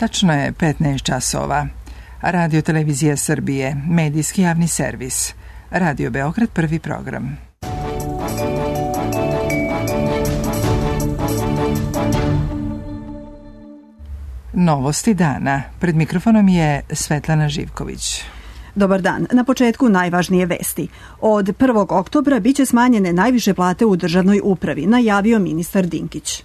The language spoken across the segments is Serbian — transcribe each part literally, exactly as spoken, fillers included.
Tačno je petnaest časova. Radio Televizija Srbije, medijski javni servis. Radio Beograd, prvi program. Novosti dana. Pred mikrofonom je Svetlana Živković. Dobar dan. Na početku najvažnije vesti. Od prvog oktobra biće smanjene najviše plate u državnoj upravi, najavio ministar Dinkić.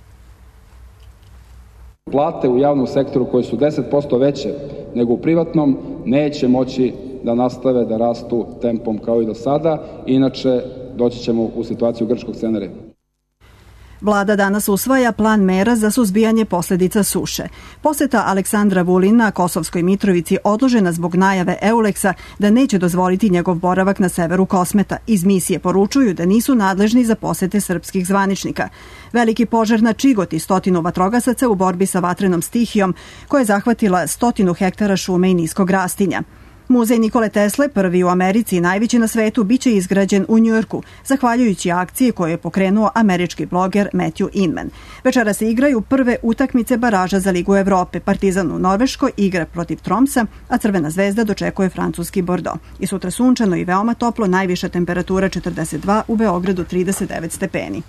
Plate u javnom sektoru koje su deset posto veće nego u privatnom neće moći da nastave da rastu tempom kao i do sada, inače doći ćemo u situaciju grčkog scenarija. Vlada danas usvaja plan mera za suzbijanje posledica suše. Poseta Aleksandra Vulina Kosovskoj Mitrovici odložena zbog najave Euleksa da neće dozvoliti njegov boravak na severu Kosmeta. Iz misije poručuju da nisu nadležni za posete srpskih zvaničnika. Veliki požar na Čigoti, stotinu vatrogasaca u borbi sa vatrenom stihijom koja je zahvatila stotinu hektara šume i niskog rastinja. Muzej Nikole Tesle, prvi u Americi i najveći na svetu, biće izgrađen u Njujorku, zahvaljujući akciji koju je pokrenuo američki bloger Matthew Inman. Večera se igraju prve utakmice baraža za Ligu Evrope. Partizan u Norveškoj igra protiv Tromsa, a Crvena zvezda dočekuje francuski Bordeaux. I sutra sunčano i veoma toplo, najviša temperatura četrdeset dva, u Beogradu trideset devet stepeni.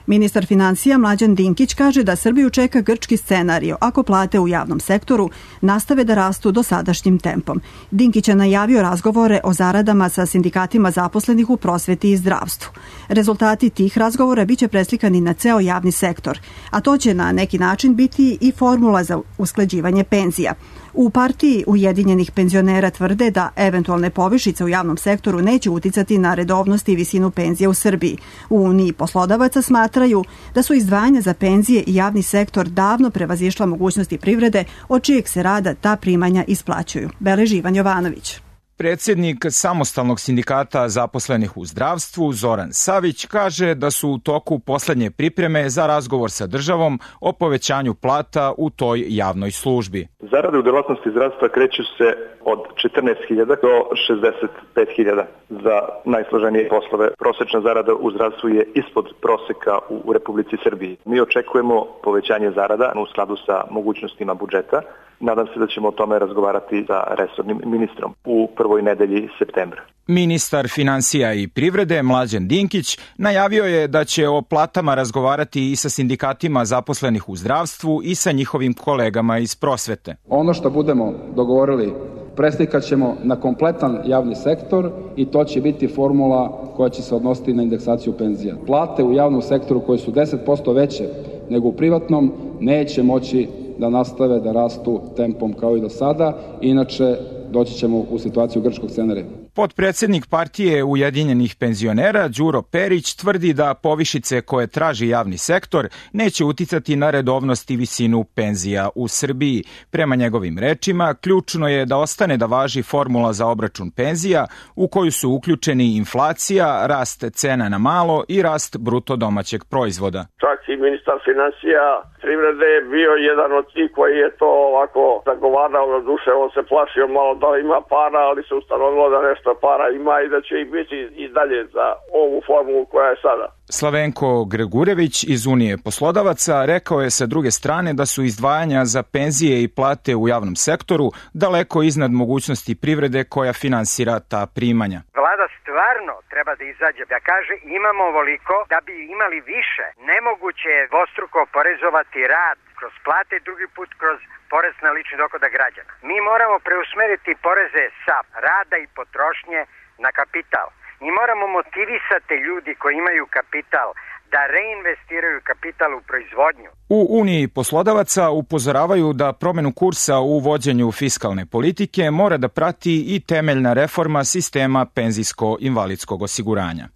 Ministar finansija Mlađan Dinkić kaže da Srbiju čeka grčki scenario ako plate u javnom sektoru nastave da rastu dosadašnjim tempom. Dinkić je najavio razgovore o zaradama sa sindikatima zaposlenih u prosveti i zdravstvu. Rezultati tih razgovora biće preslikani na ceo javni sektor, a to će na neki način biti i formula za usklađivanje penzija. U partiji Ujedinjenih penzionera tvrde da eventualne povišice u javnom sektoru neće uticati na redovnost i visinu penzija u Srbiji. U Uniji poslodavaca smatraju da su izdvajanja za penzije i javni sektor davno prevazišla mogućnosti privrede od čijeg se rada ta primanja isplaćuju. Beleži Ivan Jovanović. Predsjednik Samostalnog sindikata zaposlenih u zdravstvu Zoran Savić kaže da su u toku poslednje pripreme za razgovor sa državom o povećanju plata u toj javnoj službi. Zarade u delatnosti zdravstva kreću se od četrnaest hiljada do šezdeset pet hiljada za najsloženije poslove. Prosečna zarada u zdravstvu je ispod proseka u Republici Srbiji. Mi očekujemo povećanje zarada u skladu sa mogućnostima budžeta. Nadam se da ćemo o tome razgovarati sa resornim ministrom u prvoj nedelji septembra. Ministar finansija i privrede Mlađan Dinkić najavio je da će o platama razgovarati i sa sindikatima zaposlenih u zdravstvu i sa njihovim kolegama iz prosvete. Ono što budemo dogovorili preslikat ćemo na kompletan javni sektor i to će biti formula koja će se odnositi na indeksaciju penzija. Plate u javnom sektoru koje su deset posto veće nego u privatnom neće moći da nastave da rastu tempom kao i do sada, inače doći ćemo u situaciju grčkog scenarija. Potpredsjednik partije Ujedinjenih penzionera Đuro Perić tvrdi da povišice koje traži javni sektor neće uticati na redovnost i visinu penzija u Srbiji. Prema njegovim rečima, ključno je da ostane da važi formula za obračun penzija u koju su uključeni inflacija, rast cena na malo i rast bruto domaćeg proizvoda. Čak i ministar finansija privrede je bio jedan od tih koji je to ovako zagovarao, na duše on se plašio malo da ima para, ali se ustanovilo da nešto para ima i da će ih biti i dalje za ovu formulu koja je sada. Slavenko Gregurević iz Unije poslodavaca rekao je sa druge strane da su izdvajanja za penzije i plate u javnom sektoru daleko iznad mogućnosti privrede koja finansira ta primanja. Vlada stvarno treba da izađe da kaže imamo ovoliko da bi imali više. Nemoguće je dvostruko oporezovati rad kroz plate, drugi put kroz porez na lični dohodak građana. Mi moramo preusmeriti poreze sa rada i potrošnje na kapital. Mi moramo motivisati ljudi koji imaju kapital da reinvestiraju kapital u proizvodnju. U Uniji poslodavaca upozoravaju da promenu kursa u vođenju fiskalne politike mora da prati i temeljna reforma sistema penzijsko-invalidskog osiguranja.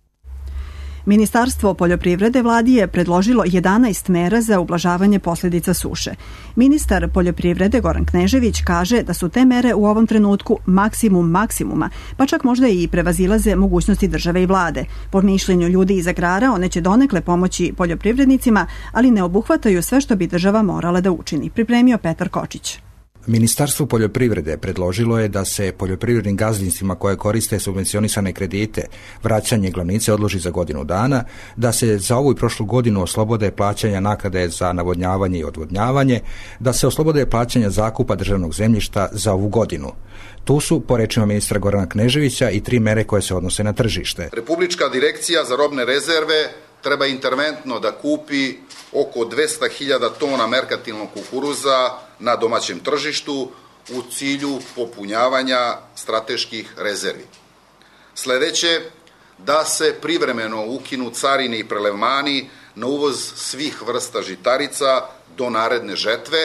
Ministarstvo poljoprivrede vladi je predložilo jedanaest mera za ublažavanje posljedica suše. Ministar poljoprivrede Goran Knežević kaže da su te mere u ovom trenutku maksimum maksimuma, pa čak možda i prevazilaze mogućnosti države i vlade. Po mišljenju ljudi iz agrara, one će donekle pomoći poljoprivrednicima, ali ne obuhvataju sve što bi država morala da učini. Pripremio Petar Kočić. Ministarstvo poljoprivrede predložilo je da se poljoprivrednim gazdinstvima koje koriste subvencionisane kredite vraćanje glavnice odloži za godinu dana, da se za ovu i prošlu godinu oslobode plaćanja naknade za navodnjavanje i odvodnjavanje, da se oslobode plaćanja zakupa državnog zemljišta za ovu godinu. Tu su, po rečima ministra Gorana Kneževića, i tri mere koje se odnose na tržište. Republička direkcija za robne rezerve treba interventno da kupi oko dvesta hiljada tona merkantilnog kukuruza na domaćem tržištu u cilju popunjavanja strateških rezervi. Sledeće, da se privremeno ukinu carine i prelevmani na uvoz svih vrsta žitarica do naredne žetve.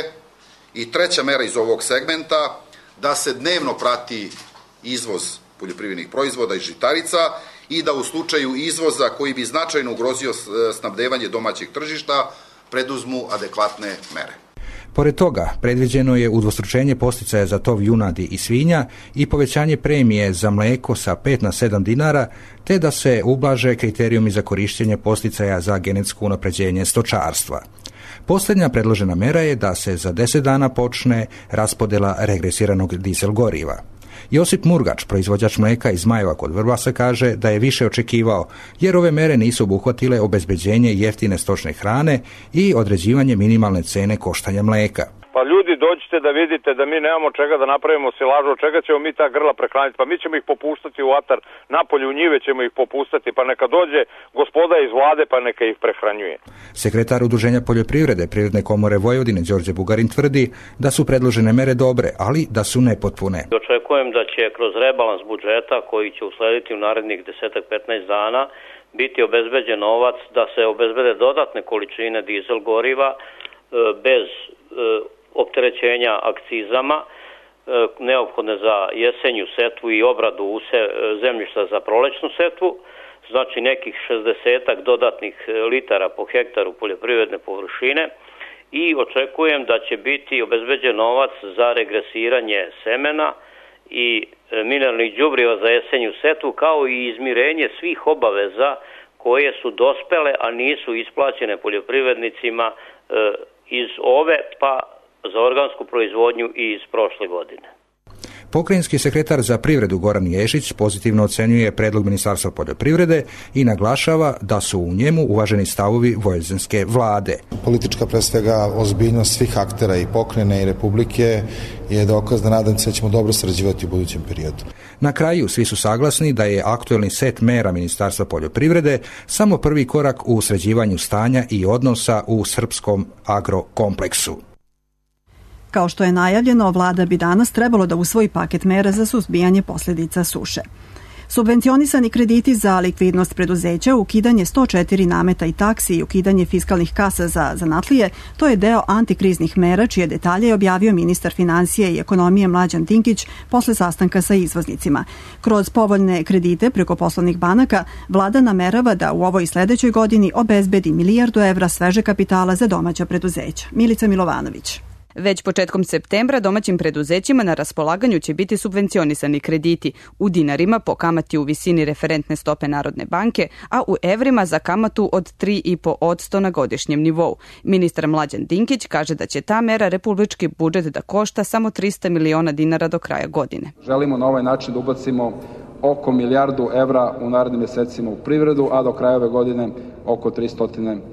I treća mera iz ovog segmenta, da se dnevno prati izvoz poljoprivrednih proizvoda i žitarica i da u slučaju izvoza koji bi značajno ugrozio snabdevanje domaćeg tržišta preduzmu adekvatne mere. Pored toga, predviđeno je udvostručenje podsticaja za tov junadi i svinja i povećanje premije za mleko sa pet na sedam dinara, te da se ublaže kriterijumi za korištenje podsticaja za genetsko unapređenje stočarstva. Posljednja predložena mera je da se za deset dana počne raspodjela regresiranog dizel goriva. Josip Murgač, proizvođač mleka iz Zmajeva kod Vrbasa, kaže da je više očekivao, jer ove mere nisu obuhvatile obezbeđenje jeftine stočne hrane i određivanje minimalne cene koštanja mleka. Pa ljudi, dođite da vidite da mi nemamo čega da napravimo silažu, od čega ćemo mi ta grla prehraniti, pa mi ćemo ih popuštati u atar, napolje u njive ćemo ih popustati, pa neka dođe gospoda iz vlade pa neka ih prehranjuje. Sekretar Udruženja poljoprivrede Privredne komore Vojvodine Đorđe Bugarin tvrdi da su predložene mere dobre, ali da su nepotpune. Očekujem da će kroz rebalans budžeta koji će uslediti u narednih deset do petnaest dana biti obezbeđen novac da se obezbede dodatne količine dizel goriva bez opterećenja akcizama, neophodne za jesenju setvu i obradu zemljišta za prolećnu setvu, znači nekih šezdesetak dodatnih litara po hektaru poljoprivredne površine, i očekujem da će biti obezbeđen novac za regresiranje semena i mineralnih đubriva za jesenju setvu, kao i izmirenje svih obaveza koje su dospele, a nisu isplaćene poljoprivrednicima iz ove pa za organsku proizvodnju i iz prošle godine. Pokrajinski sekretar za privredu Goran Ješić pozitivno ocenjuje predlog Ministarstva poljoprivrede i naglašava da su u njemu uvaženi stavovi vojvođanske vlade. Politička, pre svega, ozbiljnost svih aktera i pokrajine i republike je dokaz da nadam se da ćemo dobro sarađivati u budućem periodu. Na kraju svi su saglasni da je aktuelni set mera Ministarstva poljoprivrede samo prvi korak u sređivanju stanja i odnosa u srpskom agrokompleksu. Kao što je najavljeno, vlada bi danas trebalo da usvoji paket mera za suzbijanje posljedica suše. Subvencionisani krediti za likvidnost preduzeća, ukidanje sto četiri nameta i taksi i ukidanje fiskalnih kasa za zanatlije, to je deo antikriznih mera čije detalje je objavio ministar financije i ekonomije Mlađan Dinkić posle sastanka sa izvoznicima. Kroz povoljne kredite preko poslovnih banaka, vlada namerava da u ovoj i sledećoj godini obezbedi milijardu evra sveže kapitala za domaća preduzeća. Milica Milovanović. Već početkom septembra domaćim preduzećima na raspolaganju će biti subvencionisani krediti u dinarima po kamati u visini referentne stope Narodne banke, a u evrima za kamatu od tri i po posto na godišnjem nivou. Ministar Mlađan Dinkić kaže da će ta mera republički budžet da košta samo trista miliona dinara do kraja godine. Želimo na ovaj način da ubacimo oko milijardu evra u narednim mesecima u privredu, a do kraja ove godine oko tristo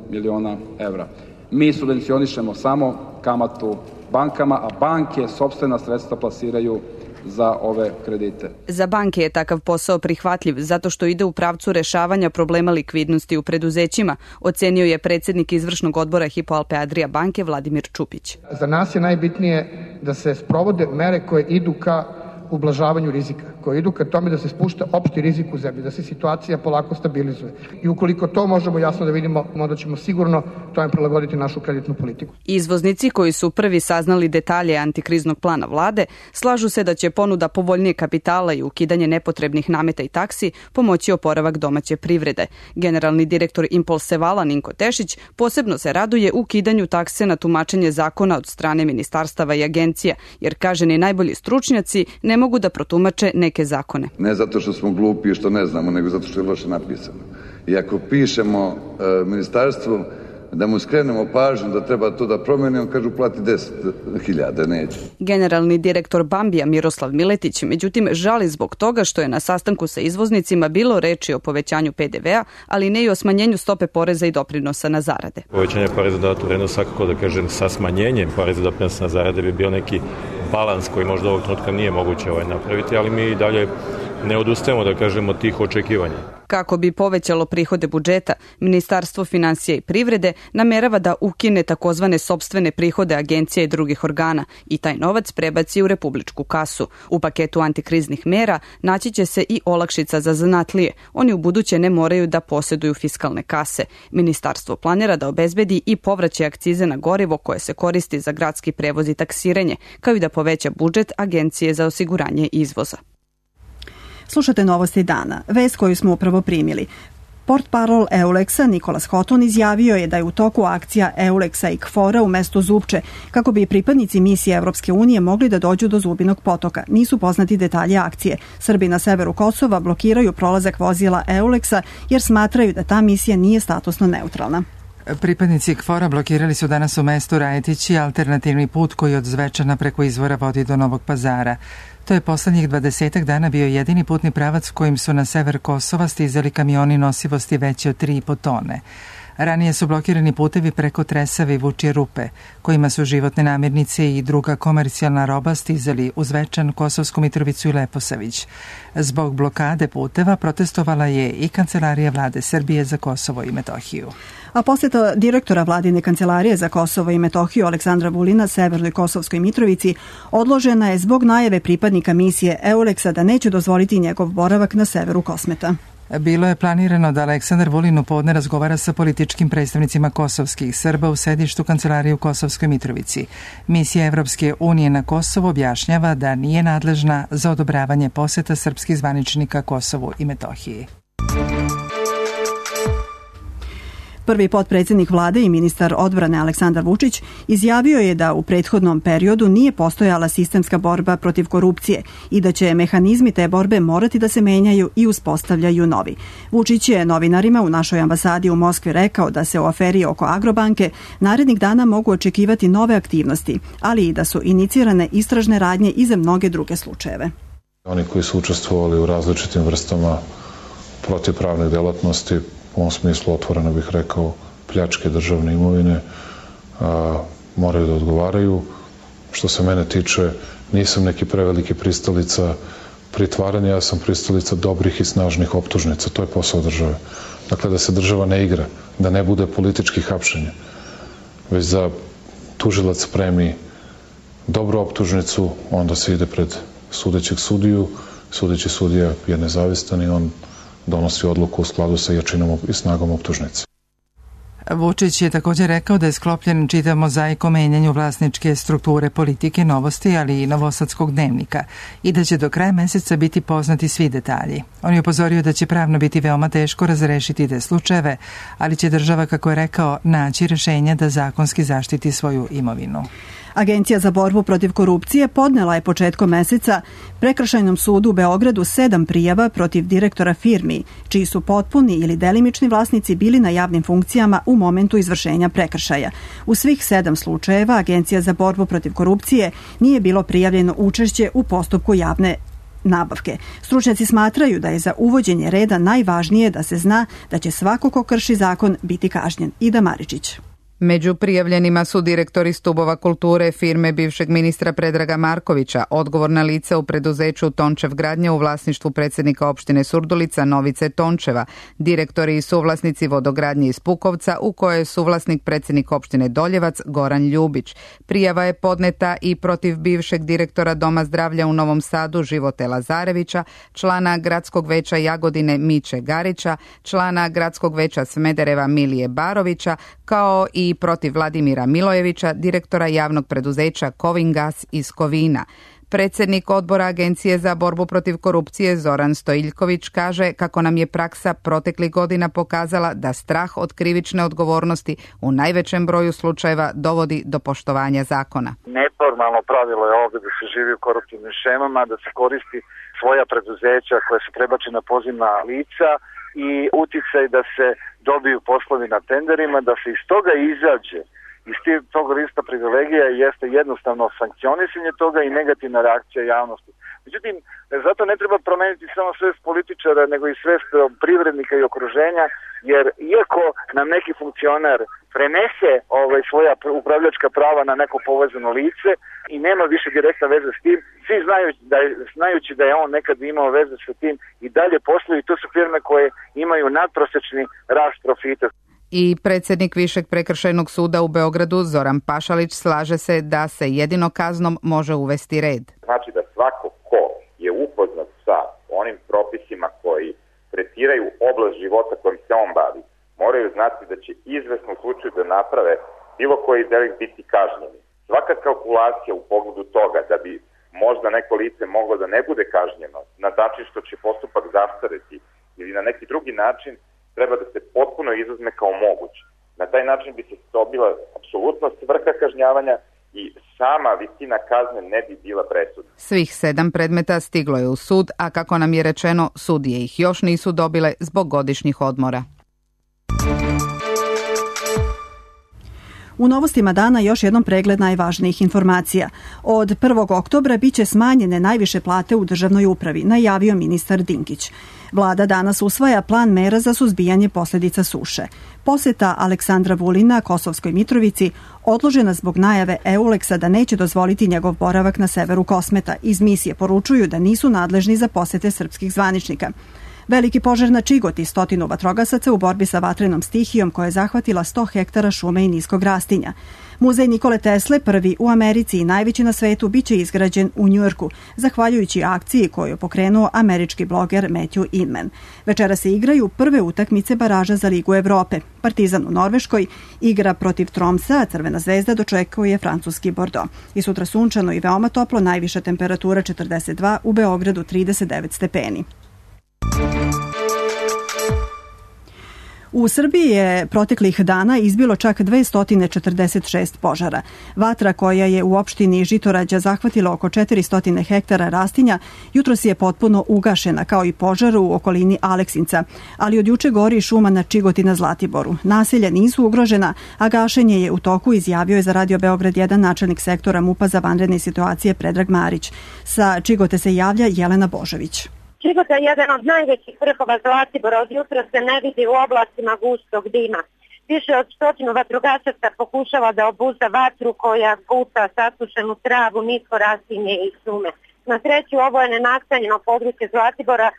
miliona evra. Mi subvencionišemo samo kamatu bankama, a banke sopstvena sredstva plasiraju za ove kredite. Za banke je takav posao prihvatljiv zato što ide u pravcu rešavanja problema likvidnosti u preduzećima, ocenio je predsjednik izvršnog odbora Hypo Alpe Adria banke Vladimir Čupić. Za nas je najbitnije da se sprovode mere koje idu ka ublažavanju rizika, koje idu ka tome da se spušta opšti rizik u zemlji, da se situacija polako stabilizuje. I ukoliko to možemo jasno da vidimo, onda ćemo sigurno tome prilagoditi našu kreditnu politiku. Izvoznici koji su prvi saznali detalje antikriznog plana vlade, slažu se da će ponuda povoljnije kapitala i ukidanje nepotrebnih nameta i taksi pomoći oporavak domaće privrede. Generalni direktor Impulse Vala Ninko Tešić posebno se raduje ukidanju takse na tumačenje zakona od strane ministarstava i agencija, jer kaže ni najbolji stručnjaci ne mogu da protumače neke zakone. Ne zato što smo glupi i što ne znamo, nego zato što je loše napisano. I ako pišemo e, ministarstvu da mu skrenemo pažnju da treba to da promeni, on kažu plati deset hiljada, neće. Generalni direktor Bambija Miroslav Miletić, međutim, žali zbog toga što je na sastanku sa izvoznicima bilo reči o povećanju P D V-a, ali ne i o smanjenju stope poreza i doprinosa na zarade. Povećanje poreza dodatu vrednost svakako, da kažem, sa smanjenjem poreza i doprinosa na zarade bi bio neki balans koji možda ovog trenutka nije moguće ovaj napraviti, ali mi i dalje ne odustajemo, da kažemo, od tih očekivanja. Kako bi povećalo prihode budžeta, Ministarstvo finansija i privrede namerava da ukine takozvane sopstvene prihode agencija i drugih organa i taj novac prebaci u republičku kasu. U paketu antikriznih mera naći će se i olakšica za zanatlije. Oni u buduće ne moraju da posjeduju fiskalne kase. Ministarstvo planira da obezbedi i povraćaj akcize na gorivo koje se koristi za gradski prevoz i taksiranje, kao i da poveća budžet Agencije za osiguranje izvoza. Slušate novosti dana, vest koju smo upravo primili. Portparol Euleksa Nikolas Hoton izjavio je da je u toku akcija Euleksa i Kfora u mestu Zupče, kako bi pripadnici misije Evropske unije mogli da dođu do Zubinog potoka. Nisu poznati detalji akcije. Srbi na severu Kosova blokiraju prolazak vozila Euleksa jer smatraju da ta misija nije statusno neutralna. Pripadnici Kfora blokirali su danas u mestu Rajetići alternativni put koji od Zvečana preko izvora vodi do Novog Pazara. To je poslednjih dvadesetak dana bio jedini putni pravac kojim su na sever Kosova stizali kamioni nosivosti veće od tri i po tone. Ranije su blokirani putevi preko Tresave i Vučje Rupe, kojima su životne namirnice i druga komercijalna roba stizali u Zvečan, Kosovsku Mitrovicu i Leposavić. Zbog blokade puteva protestovala je i Kancelarija vlade Srbije za Kosovo i Metohiju. A posjeta direktora vladine kancelarije za Kosovo i Metohiju Aleksandra Vulina Severnoj Kosovskoj Mitrovici odložena je zbog najave pripadnika misije Euleksa da neće dozvoliti njegov boravak na severu Kosmeta. Bilo je planirano da Aleksandar Vulin u podne razgovara sa političkim predstavnicima kosovskih Srba u sedištu kancelarije u Kosovskoj Mitrovici. Misija Evropske unije na Kosovo objašnjava da nije nadležna za odobravanje poseta srpskih zvaničnika Kosovu i Metohiji. Prvi potpredsjednik vlade i ministar odbrane Aleksandar Vučić izjavio je da u prethodnom periodu nije postojala sistemska borba protiv korupcije i da će mehanizmi te borbe morati da se menjaju i uspostavljaju novi. Vučić je novinarima u našoj ambasadi u Moskvi rekao da se u aferi oko Agrobanke narednih dana mogu očekivati nove aktivnosti, ali i da su inicirane istražne radnje i za mnoge druge slučajeve. Oni koji su učestvovali u različitim vrstama protivpravnih delatnosti, u ovom smislu otvoreno bih rekao pljačke državne imovine, a, moraju da odgovaraju. Što se mene tiče, nisam neki preveliki pristalica pritvaranja, ja sam pristalica dobrih i snažnih optužnica. To je posao države. Dakle, da se država ne igra, da ne bude političkih hapšenja, već da tužilac spremi dobru optužnicu, onda se ide pred sudećeg sudiju, sudeći sudija je nezavistan i on donosi odluku u skladu sa jačinom i snagom optužnice. Vučić je također rekao da je sklopljen čitav mozaik o menjanju vlasničke strukture politike, Novosti, ali i Novosadskog dnevnika i da će do kraja meseca biti poznati svi detalji. On je upozorio da će pravno biti veoma teško razrešiti te slučajeve, ali će država, kako je rekao, naći rešenja da zakonski zaštiti svoju imovinu. Agencija za borbu protiv korupcije podnela je početkom meseca Prekršajnom sudu u Beogradu sedam prijava protiv direktora firmi, čiji su potpuni ili delimični vlasnici bili na javnim funkcijama u momentu izvršenja prekršaja. U svih sedam slučajeva Agencija za borbu protiv korupcije nije bilo prijavljeno učešće u postupku javne nabavke. Stručnjaci smatraju da je za uvođenje reda najvažnije da se zna da će svako ko krši zakon biti kažnjen. Ida Maričić. Među prijavljenima su direktori stubova kulture firme bivšeg ministra Predraga Markovića, odgovorna lica u preduzeću Tončev gradnja u vlasništvu predsjednika opštine Surdulica Novice Tončeva, direktori i suvlasnici vodogradnje iz Pukovca u kojoj je suvlasnik predsjednik opštine Doljevac Goran Ljubić. Prijava je podneta i protiv bivšeg direktora Doma zdravlja u Novom Sadu Živote Lazarevića, člana gradskog veća Jagodine Miće Garića, člana gradskog veća Smedereva Milije Barovića, kao i i protiv Vladimira Milojevića, direktora javnog preduzeća Kovingas iz Kovina. Predsjednik odbora Agencije za borbu protiv korupcije Zoran Stojiljković kaže kako nam je praksa proteklih godina pokazala da strah od krivične odgovornosti u najvećem broju slučajeva dovodi do poštovanja zakona. Neformalno pravilo je ovdje da se živi u koruptivnim šemama, da se koristi svoja preduzeća koja se prebači na pozivna lica i uticaj da se dobiju poslovi na tenderima, da se iz toga izađe. Iz tog lista privilegija jeste jednostavno sankcionisanje toga i negativna reakcija javnosti. Međutim, zato ne treba promeniti samo svest političara, nego i svest privrednika i okruženja, jer iako nam neki funkcioner prenese ovaj, svoja upravljačka prava na neko povezano lice i nema više direktna veze s tim, svi znaju da je, znajući da je on nekad imao veze sa tim i dalje posluju, i to su firme koje imaju nadprosečni rast profita. I predsjednik Višeg prekršajnog suda u Beogradu Zoran Pašalić slaže se da se jedino kaznom može uvesti red. Znači da svako ko je upoznat sa onim propisima koji tretiraju oblast života kojim se on bavi, moraju znati da će izvesno u slučaju da naprave bilo koji delikt biti kažnjeni. Svaka kalkulacija u pogledu toga da bi možda neko lice moglo da ne bude kažnjeno na način što će postupak zastareti ili na neki drugi način, treba da se potpuno izuzme kao moguće. Na taj način bi se dobila apsolutno svrha kažnjavanja i sama visina kazne ne bi bila presudna. Svih sedam predmeta stiglo je u sud, a kako nam je rečeno, sudije ih još nisu dobile zbog godišnjih odmora. U novostima dana još jednom pregled najvažnijih informacija. Od prvog oktobra biće smanjene najviše plate u državnoj upravi, najavio ministar Dinkić. Vlada danas usvaja plan mera za suzbijanje posljedica suše. Poseta Aleksandra Vulina Kosovskoj Mitrovici odložena zbog najave Euleksa da neće dozvoliti njegov boravak na severu Kosmeta. Iz misije poručuju da nisu nadležni za posete srpskih zvaničnika. Veliki požar na Čigoti, stotinu vatrogasaca u borbi sa vatrenom stihijom koja je zahvatila sto hektara šume i niskog rastinja. Muzej Nikole Tesle, prvi u Americi i najveći na svetu, biće izgrađen u Njujorku, zahvaljujući akciji koju je pokrenuo američki bloger Matthew Inman. Večera se igraju prve utakmice baraža za Ligu Evrope. Partizan u Norveškoj igra protiv Tromsa, a Crvena zvezda dočekuje francuski Bordeaux. I sutra sunčano i veoma toplo, najviša temperatura četrdeset dva, u Beogradu trideset devet stepeni. U Srbiji je proteklih dana izbilo čak dvesta četrdeset šest požara. Vatra koja je u opštini Žitorađa zahvatila oko četiristo hektara rastinja, jutros je potpuno ugašena, kao i požar u okolini Aleksinca, ali od juče gori šuma na Čigoti na Zlatiboru. Naselja nisu ugrožena, a gašenje je u toku, izjavio je za Radio Beograd jedan načelnik sektora MUP-a za vanredne situacije Predrag Marić. Sa Čigote se javlja Jelena Božović. Čigota je jedan od najvećih vrhova Zlatibora, od jutra se ne vidi u oblastima gustog dima. Više od stotinu vatrogasaca pokušava da obuzda vatru koja guta sasušenu travu, nisko rastinje i šume. Na sreću ovo je nenastanjeno područje Zlatibora,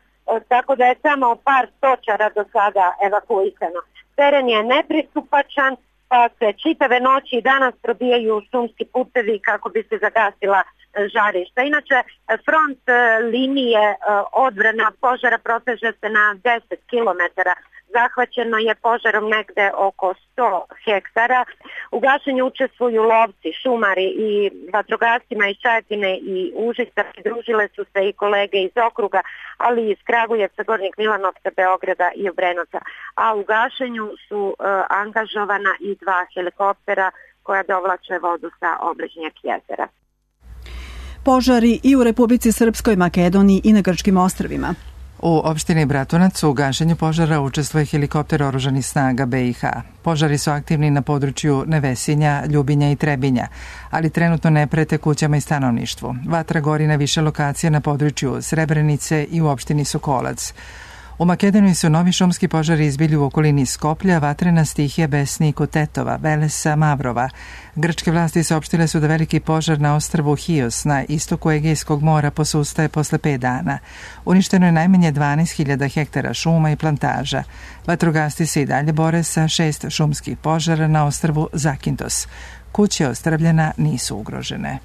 tako da je samo par stočara do sada evakuisano. Teren je nepristupačan, pa se čitave noći i danas probijaju šumski putevi kako bi se zagasila žarišta. Inače, front linije odbrana požara proteže se na deset kilometara. Zahvaćeno je požarom negde oko sto hektara. U gašenju učestvuju lovci, šumari i vatrogascima iz Čajetine i Užica. Pridružile su se i kolege iz okruga, ali i iz Kragujevca, Gornjeg Milanovca, Beograda i Obrenovca. A u gašenju su uh, angažovana i dva helikoptera koja dovlače vodu sa obližnjeg jezera. Požari i u Republici Srpskoj, Makedoniji i na Grčkim ostrvima. U opštini Bratunac u gašenju požara učestvuje helikopter oružanih snaga B i H. Požari su aktivni na području Nevesinja, Ljubinja i Trebinja, ali trenutno ne prete kućama i stanovništvu. Vatra gori na više lokacija na području Srebrenice i u opštini Sokolac. U Makedoniji su novi šumski požari izbili u okolini Skoplja, vatrena stihija Besniku Tetova, Velesa, Mavrova. Grčke vlasti saopštile su da veliki požar na ostrvu Hios na istoku Egejskog mora posustaje posle pet dana. Uništeno je najmanje dvanaest hiljada hektara šuma i plantaža. Vatrogasci se i dalje bore sa šest šumskih požara na ostrvu Zakintos. Kuće ostrvljena nisu ugrožene.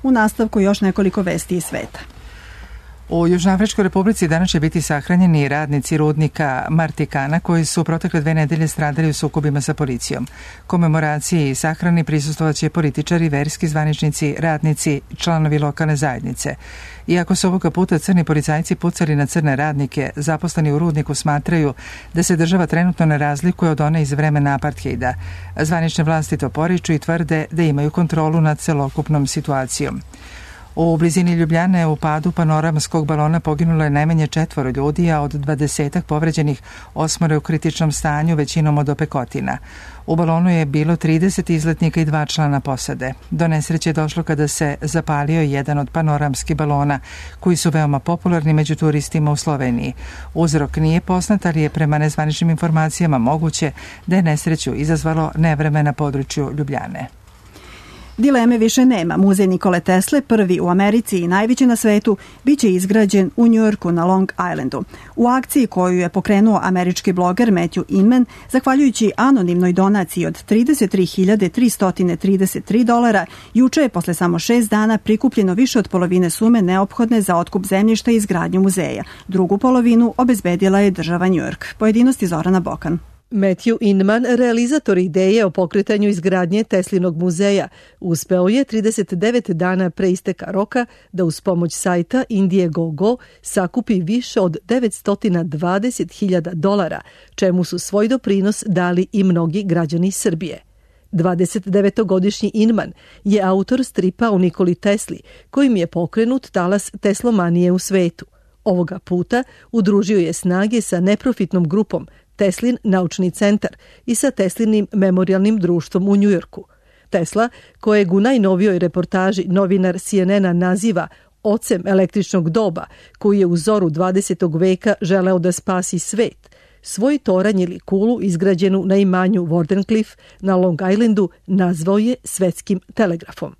U nastavku još nekoliko vesti iz sveta. U Južnoafričkoj Republici danas će biti sahranjeni radnici rudnika Martikana koji su protekle dve nedelje stradali u sukobima sa policijom. Komemoraciji i sahrani prisustvovaće političari, verski zvaničnici, radnici, članovi lokalne zajednice. Iako su ovoga puta crni policajci pucali na crne radnike, zaposleni u rudniku smatraju da se država trenutno ne razlikuje od one iz vremena apartheida. Zvanične vlasti to poriču i tvrde da imaju kontrolu nad celokupnom situacijom. U blizini Ljubljane u padu panoramskog balona poginulo je najmanje četvoro ljudi, a od dvadesetak povređenih osmoro u kritičnom stanju, većinom od opekotina. U balonu je bilo trideset izletnika i dva člana posade. Do nesreće je došlo kada se zapalio jedan od panoramskih balona, koji su veoma popularni među turistima u Sloveniji. Uzrok nije poznat, ali je prema nezvaničnim informacijama moguće da je nesreću izazvalo nevreme na području Ljubljane. Dileme više nema. Muzej Nikole Tesle, prvi u Americi i najveći na svetu, biće izgrađen u Njujorku na Long Islandu. U akciji koju je pokrenuo američki bloger Matthew Inman, zahvaljujući anonimnoj donaciji od trideset tri hiljade tristo trideset tri dolara, juče je posle samo šest dana prikupljeno više od polovine sume neophodne za otkup zemljišta i izgradnju muzeja. Drugu polovinu obezbedila je država Njujork. Pojedinosti Zorana Bokan. Matthew Inman, realizator ideje o pokretanju izgradnje Teslinog muzeja, uspeo je trideset devet dana pre isteka roka da uz pomoć sajta Indiegogo sakupi više od devetsto dvadeset hiljada dolara, čemu su svoj doprinos dali i mnogi građani Srbije. dvadesetdevetogodišnji Inman je autor stripa o Nikoli Tesli, kojim je pokrenut talas teslomanije u svetu. Ovoga puta udružio je snage sa neprofitnom grupom Teslin naučni centar i sa Teslinim memorialnim društvom u Njujorku. Tesla, kojeg u najnovijoj reportaži novinar C N N-a naziva ocem električnog doba, koji je u zoru dvadesetog veka želeo da spasi svet, svoj toranj ili kulu izgrađenu na imanju Wardenclyffe na Long Islandu nazvao je svetskim telegrafom.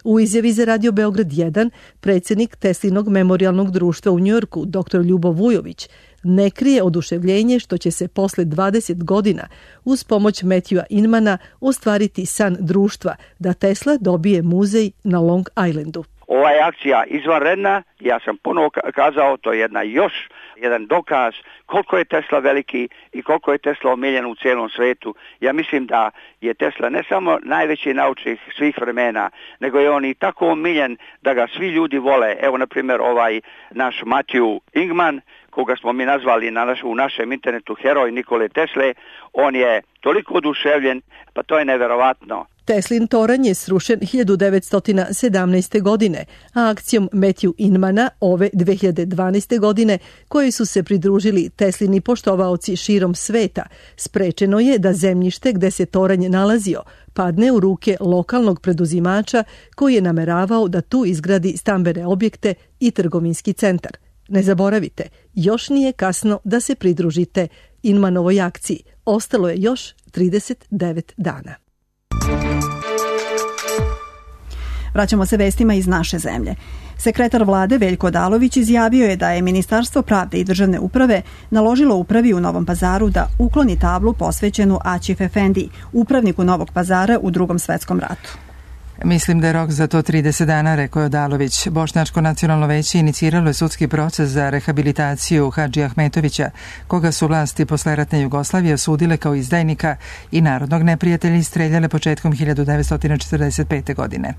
U izjavi za Radio Beograd jedan, predsjednik Teslinog memorialnog društva u Njujorku, dr Ljubo Vujović, ne krije oduševljenje što će se posle dvadeset godina uz pomoć Matthewa Inmana ostvariti san društva da Tesla dobije muzej na Long Islandu. Ova je akcija izvanredna, ja sam ponovo kazao, to je jedna još jedan dokaz koliko je Tesla veliki i koliko je Tesla omiljen u cijelom svetu. Ja mislim da je Tesla ne samo najveći naučnik svih vremena, nego je on i tako omiljen da ga svi ljudi vole. Evo, na primjer, ovaj naš Matthew Inman, koga smo mi nazvali na naš, u našem internetu heroj Nikole Tesle, on je toliko oduševljen, pa to je neverovatno. Teslin toranj je srušen hiljadu devetsto sedamnaeste. godine, a akcijom Matthew Inmana ove dve hiljade dvanaeste. godine, koji su se pridružili Teslini poštovaoci širom sveta, sprečeno je da zemljište gde se toranj nalazio padne u ruke lokalnog preduzimača koji je nameravao da tu izgradi stambene objekte i trgovinski centar. Ne zaboravite, još nije kasno da se pridružite Inmanovoj akciji. Ostalo je još trideset devet dana. Vraćamo se vestima iz naše zemlje. Sekretar vlade Veljko Odalović izjavio je da je Ministarstvo pravde i državne uprave naložilo upravi u Novom Pazaru da ukloni tablu posvećenu Aćif Efendiji, upravniku Novog Pazara u Drugom svetskom ratu. Mislim da je rok za to trideset dana, rekao je Odalović. Bošnjačko nacionalno veće iniciralo je sudski proces za rehabilitaciju Hadži Ahmetovića, koga su vlasti posle ratne Jugoslavije osudile kao izdajnika i narodnog neprijatelja i streljale početkom hiljadu devetsto četrdeset pete. godine.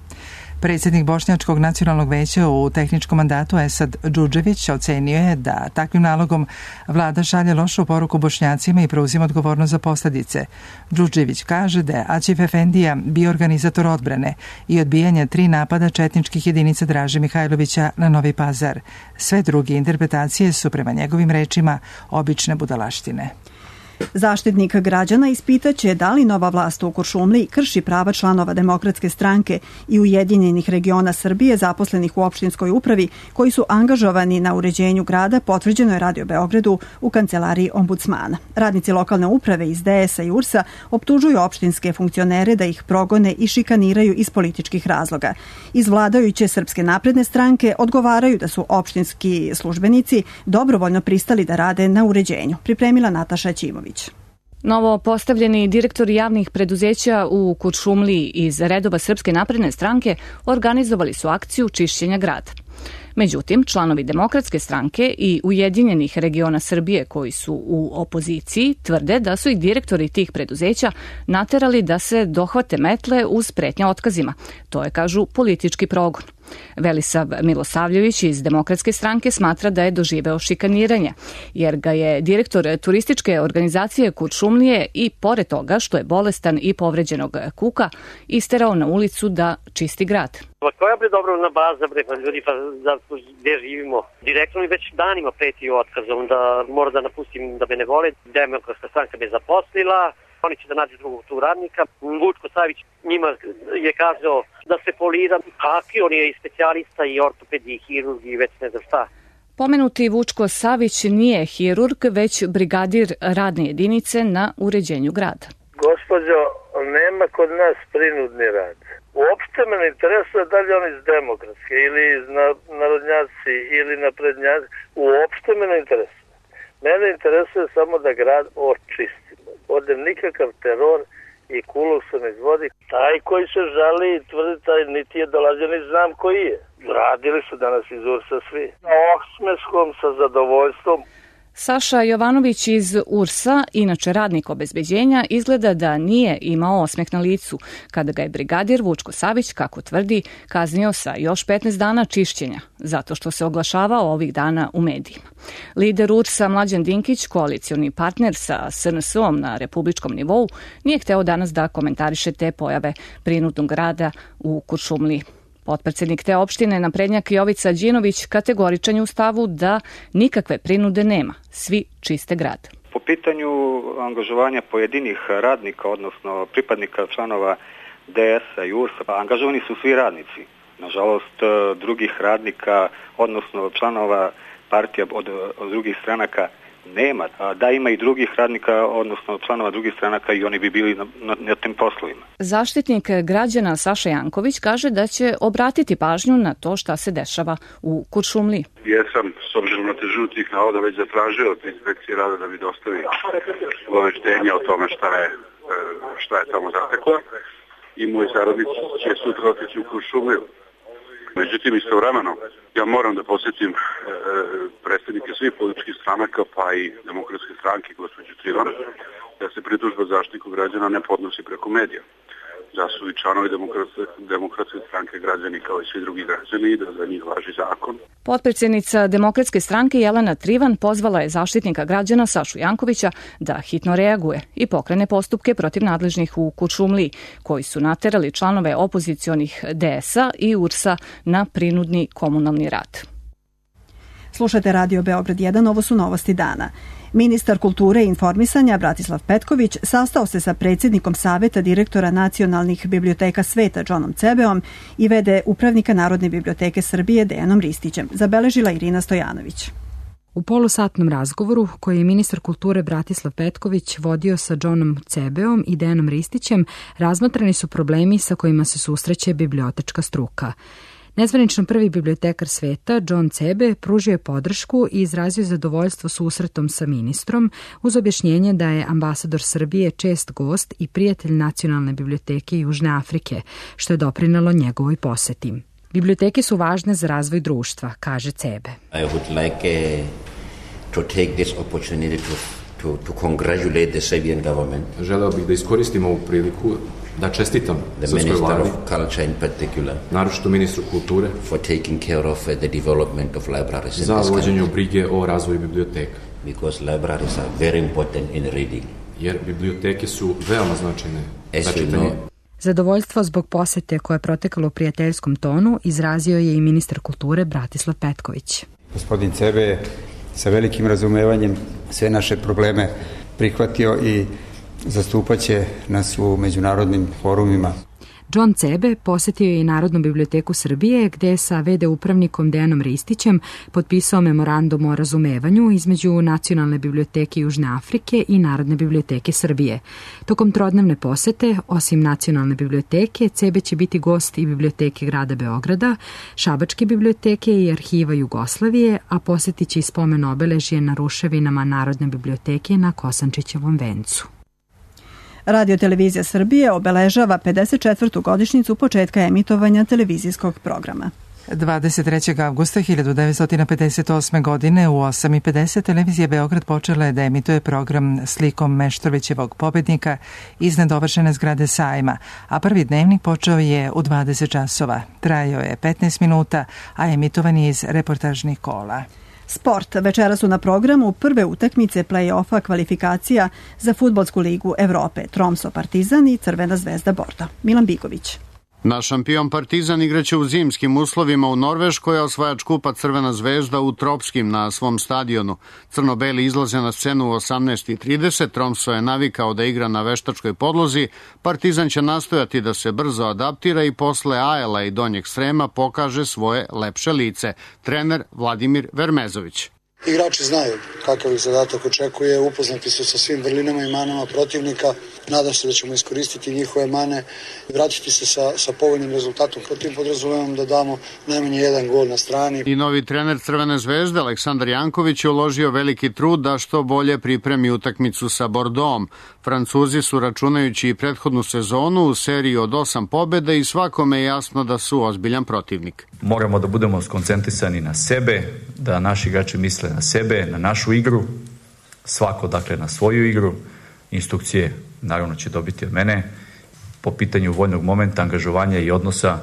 Predsjednik Bošnjačkog nacionalnog veća u tehničkom mandatu Esad Džudžević ocenio je da takvim nalogom vlada šalje lošu poruku Bošnjacima i preuzima odgovornost za posljedice. Džudžević kaže da je Aćif Efendija bio organizator odbrane i odbijanja tri napada četničkih jedinica Draže Mihajlovića na Novi Pazar. Sve druge interpretacije su prema njegovim rečima obične budalaštine. Zaštitnik građana ispitaće da li nova vlast u Kuršumliji krši prava članova Demokratske stranke i Ujedinjenih regiona Srbije zaposlenih u opštinskoj upravi koji su angažovani na uređenju grada, potvrđeno je Radio Beogradu u kancelariji ombudsmana. Radnici lokalne uprave iz D S A i U R S-a optužuju opštinske funkcionere da ih progone i šikaniraju iz političkih razloga. Iz vladajuće Srpske napredne stranke odgovaraju da su opštinski službenici dobrovoljno pristali da rade na uređenju. Pripremila Nataša Ćimović. Novo postavljeni direktori javnih preduzeća u Kuršumliji iz redova Srpske napredne stranke organizovali su akciju čišćenja grada. Međutim, članovi Demokratske stranke i Ujedinjenih regiona Srbije koji su u opoziciji tvrde da su i direktori tih preduzeća naterali da se dohvate metle uz pretnje otkazima. To je, kažu, politički progon. Velisav Milosavljević iz Demokratske stranke smatra da je doživeo šikaniranje, jer ga je direktor turističke organizacije Kuršumlije i pored toga što je bolestan i povređenog kuka isterao na ulicu da čisti grad. Pa koja bre dobrovoljna baza bre, pa ljudi, pa za gdje živimo? Direktno mi već danima preti otkazom da mora da napustim da me ne vole. Demokratska stranka me zaposlila, oni će da nađu drugog tu radnika. Vučko Savić njima je kazao da se polira. Kakvi, on je i specijalista i ortopediji i hirurg i već ne znam šta. Pomenuti Vučko Savić nije hirurg, već brigadir radne jedinice na uređenju grada. Gospođo, nema kod nas prinudni rad. Uopšte me ne interesuje da li on iz Demokratske ili iz narodnjaci ili naprednjaci. Uopšte me ne interesuje. Mene interesuje samo da grad očistimo. Ovdje nikakav teror i kuluk se ne izvodi. Taj koji se žali i tvrdi taj niti je dolazio, ni znam koji je. Radili su danas iz Ursa svi. Na osmeskom sa zadovoljstvom. Saša Jovanović iz Ursa, inače radnik obezbeđenja, izgleda da nije imao osmeh na licu kada ga je brigadir Vučko Savić, kako tvrdi, kaznio sa još petnaest dana čišćenja, zato što se oglašavao ovih dana u medijima. Lider Ursa Mlađan Dinkić, koalicioni partner sa S N S-om na republičkom nivou, nije hteo danas da komentariše te pojave prinudnog rada u Kuršumliji. Potpredsednik te opštine naprednjak Jovica Đinović kategoričan je u stavu da nikakve prinude nema, svi čiste grad. Po pitanju angažovanja pojedinih radnika, odnosno pripadnika članova D S-a i U R S-a, angažovani su svi radnici. Nažalost, drugih radnika, odnosno članova partija od, od drugih stranaka nema. Da ima i drugih radnika, odnosno članova drugih stranaka i oni bi bili na, na, na tim poslovima. Zaštitnik građana Saša Janković kaže da će obratiti pažnju na to šta se dešava u Kuršumliji. Jesam, s obzirom na težinu tih navoda, već zatražio od inspekcije rada da mi dostavi obaveštenje o tome šta je, šta je tamo zatekla i moji saradnici će sutra otići u Kuršumliju. Međutim, istovremeno, ja moram da posjetim e, predstavnike svih političkih stranaka, pa i Demokratske stranke, gospođu Trivan, da se pritužba zaštitniku građana ne podnosi preko medija. Da su i članovi demokratske, demokratske stranke građani kao i svi drugi građani i da za njih važi zakon. Potpredsjednica Demokratske stranke Jelena Trivan pozvala je zaštitnika građana Sašu Jankovića da hitno reaguje i pokrene postupke protiv nadležnih u Kuršumliji, koji su naterali članove opozicionih D S-a i U R S-a na prinudni komunalni rad. Slušate Radio Beograd jedan, ovo su novosti dana. Ministar kulture i informisanja Bratislav Petković sastao se sa predsjednikom Saveta direktora nacionalnih biblioteka sveta Johnom Cebeom i v d upravnika Narodne biblioteke Srbije Dejanom Ristićem, zabeležila Irina Stojanović. U polusatnom razgovoru koji je ministar kulture Bratislav Petković vodio sa Johnom Cebeom i Dejanom Ristićem, razmotreni su problemi sa kojima se susreće bibliotečka struka. Nezvanično prvi bibliotekar sveta, John Cebe, pružio je podršku i izrazio zadovoljstvo susretom sa ministrom uz objašnjenje da je ambasador Srbije čest gost i prijatelj Nacionalne biblioteke Južne Afrike, što je doprinelo njegovoj poseti. Biblioteke su važne za razvoj društva, kaže Cebe. I would like uh, to take this opportunity to, to, to congratulate the Serbian government. Želeo bih da iskoristim ovu priliku da čestitam srpskoj vladi, naročito ministru kulture, for taking care of the development of libraries za vođenju brige o razvoju biblioteka. Because libraries are very important in reading. Jer biblioteke su veoma značajne za čitanje. Zadovoljstvo zbog posete koje je protekalo u prijateljskom tonu izrazio je i ministar kulture Bratislav Petković. Gospodin Cebe sa velikim razumevanjem sve naše probleme prihvatio i zastupaće nas u međunarodnim forumima. John Cebe posjetio je i Narodnu biblioteku Srbije, gde je sa v d upravnikom Dejanom Ristićem potpisao memorandum o razumevanju između Nacionalne biblioteke Južne Afrike i Narodne biblioteke Srbije. Tokom trodnevne posete, osim Nacionalne biblioteke, Cebe će biti gost i biblioteke grada Beograda, Šabačke biblioteke i Arhiva Jugoslavije, a posjetit će i spomen obeležje na ruševinama Narodne biblioteke na Kosančićevom vencu. Radio Televizija Srbije obeležava pedeset četvrtu godišnjicu početka emitovanja televizijskog programa. dvadeset trećeg avgusta hiljadu devetsto pedeset osme. godine u osam i pedeset televizija Beograd počela je da emituje program slikom Meštrovićevog pobednika iz nedovršene zgrade sajma, a prvi dnevnik počeo je u dvadeset časova. Trajao je petnaest minuta, a emitovan je iz reportažnih kola. Sport. Večera su na programu prve utakmice play-offa kvalifikacija za Fudbalsku ligu Evrope. Tromso Partizan i Crvena zvezda Bordo. Milan Bigović. Naš šampion Partizan igraće u zimskim uslovima u Norveškoj, a osvajač kupa Crvena zvezda u tropskim na svom stadionu. Crno-beli izlaze na scenu u osamnaest i trideset, Tromso je navikao da igra na veštačkoj podlozi, Partizan će nastojati da se brzo adaptira i posle Ajela i Donjeg Srema pokaže svoje lepše lice. Trener Vladimir Vermezović. Igrači znaju kakav ih zadatak očekuje, upoznati su sa svim vrlinama i manama protivnika. Nadam se da ćemo iskoristiti njihove mane i vratiti se sa, sa povoljnim rezultatom. Protiv podrazumevam da damo najmanje jedan gol na strani. I novi trener Crvene zvezde Aleksandar Janković je uložio veliki trud da što bolje pripremi utakmicu sa Bordom. Francuzi su, računajući i prethodnu sezonu, u seriji od osam pobjeda i svakome je jasno da su ozbiljan protivnik. Moramo da budemo skoncentrisani na sebe, da naši igrači misle na sebe, na našu igru, svako dakle na svoju igru. Instrukcije naravno će dobiti od mene. Po pitanju vojnog momenta, angažovanja i odnosa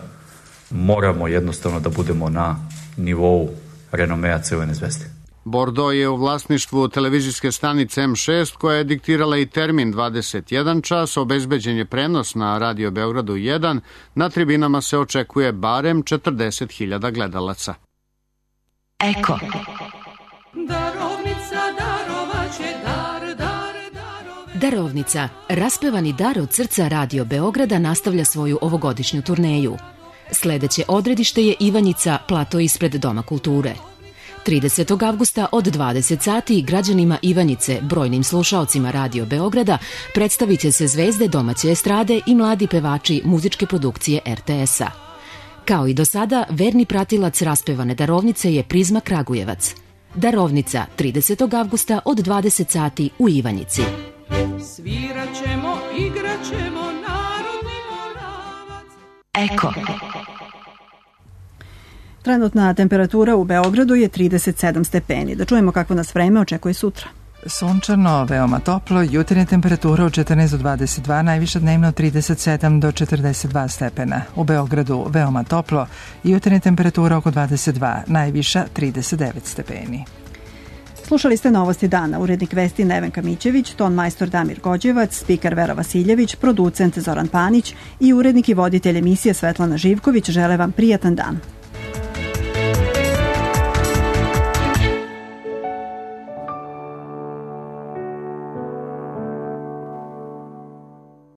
moramo jednostavno da budemo na nivou renomea Crvene zvezde. Bordo je u vlasništvu televizijske stanice em šest koja je diktirala i termin dvadeset jedan čas, obezbeđen je prenos na Radio Beogradu jedan, na tribinama se očekuje barem četrdeset hiljada gledalaca. Eko. Darovnica, darovaće, dar, dar, darove. Darovnica, raspevani dar od srca Radio Beograda nastavlja svoju ovogodišnju turneju. Sledeće odredište je Ivanjica, plato ispred Doma kulture. tridesetog avgusta od dvadeset sati građanima Ivanjice, brojnim slušaocima Radio Beograda, predstavit će se zvezde domaće estrade i mladi pevači muzičke produkcije er te es-a. Kao i do sada, verni pratilac raspevane darovnice je Prizma Kragujevac. Darovnica tridesetog avgusta od dvadeset sati u Ivanjici. Sviraćemo, igraćemo, narodni moravac. Eko. Trenutna temperatura u Beogradu je trideset sedam stepeni. Da čujemo kako nas vreme očekuje sutra. Sunčano, veoma toplo, jutarnja temperatura od četrnaest do dvadeset dva, najviša dnevno trideset sedam do četrdeset dva stepena. U Beogradu veoma toplo, jutarnja temperatura oko dvadeset dva, najviša trideset devet stepeni. Slušali ste Novosti dana, urednik vesti Nevenka Mićević, ton majstor Damir Gođevac, spiker Vera Vasiljević, producent Zoran Panić i urednik i voditelj emisije Svetlana Živković žele vam prijatan dan.